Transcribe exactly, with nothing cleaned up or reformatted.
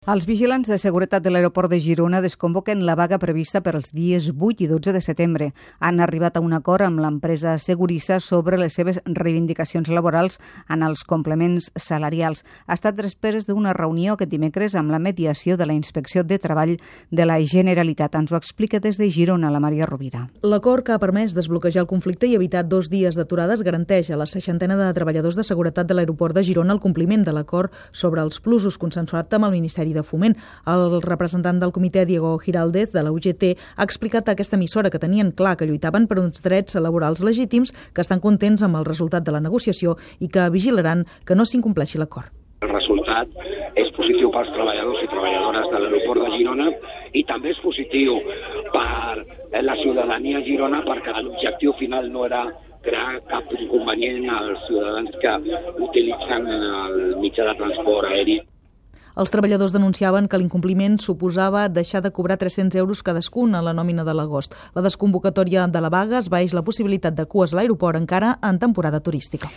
Els vigilants de seguretat de l'aeroport de Girona desconvoquen la vaga prevista per als dies vuit i dotze de setembre. Han arribat a un acord amb l'empresa Segurissa sobre les seves reivindicacions laborals en els complements salarials. Ha estat després d'una reunió aquest dimecres amb la mediació de la Inspecció de Treball de la Generalitat. Ens ho explica des de Girona la Maria Rovira. L'acord que ha permès desbloquejar el conflicte i evitar dos dies d'aturades garanteix a la seixantena de treballadors de seguretat de l'aeroport de Girona el compliment de l'acord sobre els plusos consensuat amb el Ministeri de Foment. El representant del comitè, Diego Giraldez, de la U G T, ha explicat a aquesta emissora que tenien clar que lluitaven per uns drets laborals legítims, que estan contents amb el resultat de la negociació i que vigilaran que no s'incompleixi l'acord. El resultat és positiu pels treballadors i treballadores de l'aeroport de Girona i també és positiu per la ciutadania a Girona, perquè l'objectiu final no era crear cap inconvenient als ciutadans que utilitzen el mitjà de transport aeri. Els treballadors denunciaven que l'incompliment suposava deixar de cobrar tres-cents euros cadascun a la nòmina de l'agost. La desconvocatòria de la vaga esvaeix la possibilitat de cues a l'aeroport encara en temporada turística.